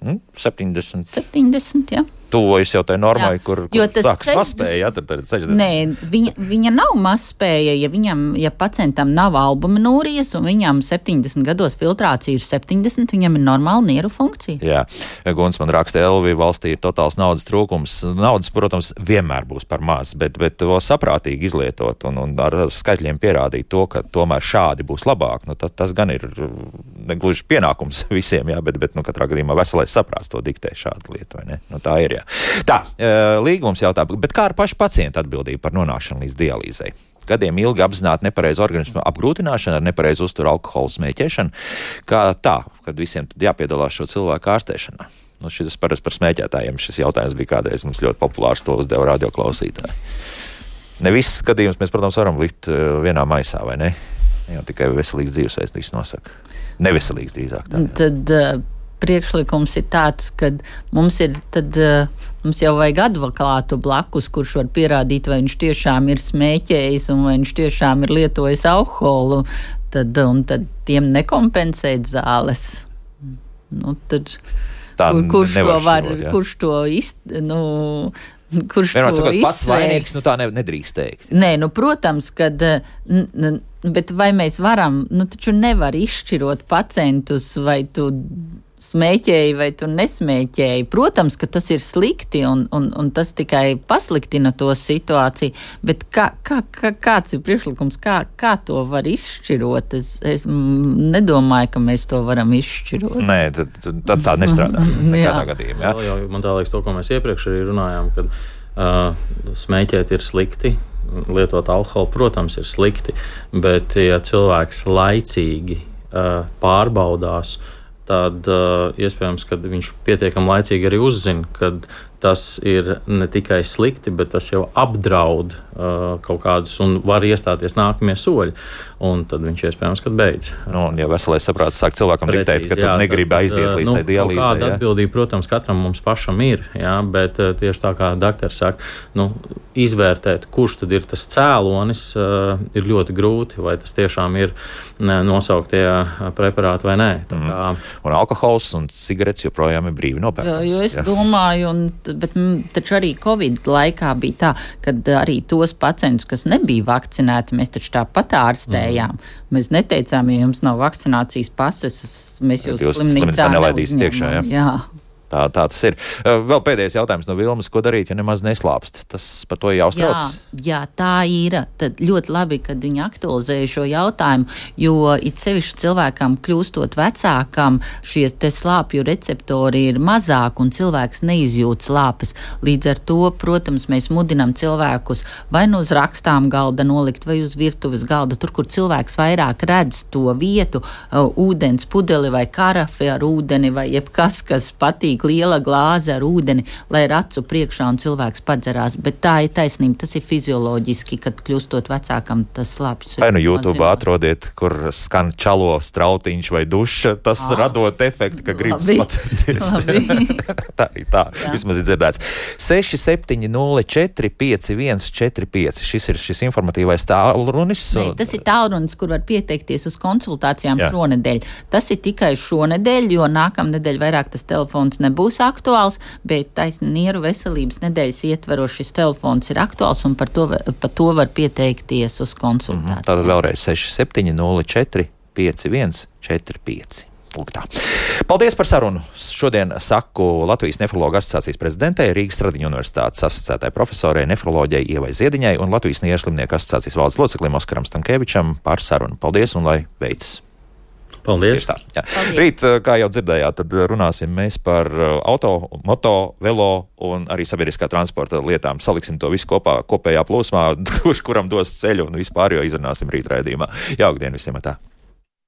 Mm, septiņdesmit. septiņdesmit, jā. Tuvojas jau tai normai, Jā, kur, kur sāks sež... mazspēja, jā, tad ir sešdesmit. Nē, viņa, viņa nav mazspēja, ja viņam, ja pacientam nav albuminūrijas un viņam septiņdesmit gados filtrācija ir septiņdesmit, viņam ir normāla nieru funkcija. Jā, Guns man raksta, Elvi, valstī ir totāls naudas trūkums. Naudas, protams, vienmēr būs par maz, bet, bet to saprātīgi izlietot un, un ar skaitļiem pierādīt to, ka tomēr šādi būs labāk, nu, tas, tas gan ir negluži pienākums visiem, jā, bet, bet nu, katrā gadījumā veselais saprāts to diktē šādu lietu, vai ne? Nu, tā ir, jā. Tā, līgums jautā, bet kā ar pašu pacientu atbildību par nonākšanu līdz dialīzei? Gadiem ilgi apzināti nepareizu organismu apgrūtināšanu ar nepareizu uzturu alkoholu smēķēšanu, kā tā, kad visiem tad jāpiedalās šo cilvēku ārstēšanā. Nu, šis parasti par smēķētājiem šis jautājums bija kādreiz mums ļoti populārs, to uzdeva radioklausītāji. Ne viss gadījums mēs, protams, varam likt vienā maisā, vai ne? Jau tikai veselīgs dzīvesveids viss nosaka. Neveselīgs drīzāk tā. Jā. Tad uh, priekšlikums ir tāds, ka mums ir tad, uh, mums jau vajag advokātu blakus, kurš var pierādīt, vai viņš tiešām ir smēķējis un vai viņš tiešām ir lietojis alkoholu, tad, un tad tiem nekompensēt zāles. Nu, tad, tā kur, kurš to var, šķirot, kurš to izt, nu, kurš Vienmēr to sakot, pats izsvērs? vainīgs, nu tā ne, nedrīkst teikt. Nē, nu, protams, kad, n, n, bet vai mēs varam, nu, taču nevar izšķirot pacientus, vai tu smēķēji vai tu nesmēķēji. Protams, ka tas ir slikti un, un, un tas tikai pasliktina to situāciju, bet kā, kā, kā, kāds ir priekšlikums, kā, kā to var izšķirot? Es, es nedomāju, ka mēs to varam izšķirot. Nē, tad, tad tā nestrādās nekādā gadījumā. Jā. Jau, man tā liekas to, ko mēs iepriekš arī runājām, kad uh, smēķēt ir slikti, lietot alkoholu, protams, ir slikti, bet ja cilvēks laicīgi uh, pārbaudās, tad uh, iespējams, ka viņš pietiekami laicīgi arī uzzina, ka tas ir ne tikai slikti, bet tas jau apdraud uh, kaut kādus un var iestāties nākamie soļi. Un tad viņš iespējams, kad beidz. Nu, un ja veselais saprāts sāk cilvēkam diktēt, ka tu negribi aiziet līdz nu, tai dialīzei. Kāda ja? Atbildība, protams, katram mums pašam ir, ja? Bet uh, tieši tā kā daktars saka, nu, izvērtēt, kurš tad ir tas cēlonis, uh, ir ļoti grūti, vai tas tiešām ir ne, nosauktie preparāti vai nē. Tā kā... mm. Un alkohols un cigaretes joprojām ir brīvi nopērkams. Jo es ja? domāju, un, bet taču arī Covid laikā bija tā, kad arī tos pacientus, kas nebija vakcinēti, mēs taču tāpat ārstējām. Mm. Mēs neteicām, ja jums nav vakcinācijas pases, mēs jūs, jūs slimnīcā neuzņemam. Jā. Tā, tā tas ir. Vēl pēdējais jautājums no Vilmas, ko darīt, ja nemaz neslāpst? Tas par to jāuztrauc? Jā, jā, tā ir. Tad ļoti labi, kad viņi aktualizēja šo jautājumu, jo it sevišķi cilvēkam kļūstot vecākam, šie te slāpju receptori ir mazāk un cilvēks neizjūt slāpes. Līdz ar to, protams, mēs mudinam cilvēkus vai nu uz rakstām galda nolikt, vai uz virtuves galda, tur, kur cilvēks vairāk redz to vietu, uh, ūdens pudeli vai karafi ar ūdeni vai jebkas, kas patīk, liela glāze ar ūdeni, lai ir acu priekšā un cilvēks padzerās. Bet tā ir taisnība, tas ir fizioloģiski, kad kļūstot vecākam, tas slāpjas. Vai nu YouTube atrodiet, kur skan čalo strautiņš vai duša, tas ah, radot efektu, ka gribas pacenties. tā ir tā, jā. Vismaz ir dzirdēts. seši septiņi nulle četri pieci viens četri pieci. Šis ir šis informatīvais tālrunis. Nē, tas ir tālrunis, kur var pieteikties uz konsultācijām jā. Šonedēļ. Tas ir tikai šonedēļ, jo nākamnedēļ vairāk tas telefons nebūs aktuāls, bet taisni nieru veselības nedēļas ietveros šis telefons ir aktuāls un par to, par to var pieteikties uz konsultāciju. Mm-hmm. Tātad vēlreiz seši septiņi nulle četri pieci viens četri pieci. Lūk tā. Paldies par sarunu. Šodien saku Latvijas nefrologu asociācijas prezidentei, Rīgas Stradiņu universitātes asociētai profesorei nefroloģei Ievai Ziediņai un Latvijas nierslimnieku asociācijas valdes loceklim Oskaram Stankēvičam par sarunu. Paldies un lai veicas! Paldies. Tā, Paldies. Rīt, kā jau dzirdējāt, tad runāsim mēs par auto, moto, velo un arī sabiedriskā transporta lietām. Saliksim to visu kopā, kopējā plūsmā, kurš kuram dos ceļu un vispār jau izrunāsim rīt raidījumā. Jauka diena visiem! Tā.